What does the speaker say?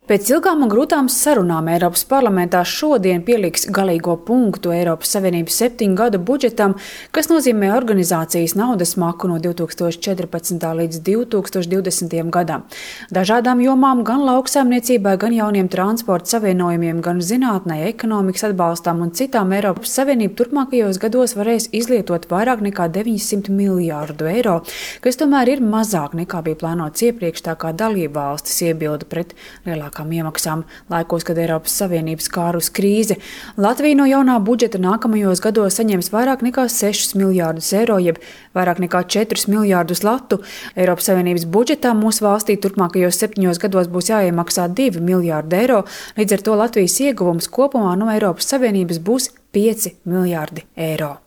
Pēc ilgām un grūtām sarunām Eiropas parlamentā šodien pieliks galīgo punktu Eiropas Savienības 7 gadu budžetam, kas nozīmē organizācijas naudas maku no 2014. līdz 2020. gadam. Dažādām jomām, gan lauksaimniecībai, gan jauniem transporta savienojumiem, gan zinātnē, ekonomikas atbalstām un citām Eiropas Savienība turpmākajos gados varēs izlietot vairāk nekā 900 miljārdu eiro, kas tomēr ir mazāk nekā bija plānots iepriekš, tā kā dalība valstis iebilda pret lielākām iemaksām laikos, kad Eiropas Savienības kārus krīze. Latvija no jaunā budžeta nākamajos gados saņems vairāk nekā 6 miljārdus eiro, jeb vairāk nekā 4 miljārdus latu. Eiropas Savienības budžetā mūsu valstī turpmākajos 7 gados būs jāiemaksā 2 miljārdi eiro, līdz ar to Latvijas ieguvums kopumā no Eiropas Savienības būs 5 miljārdi eiro.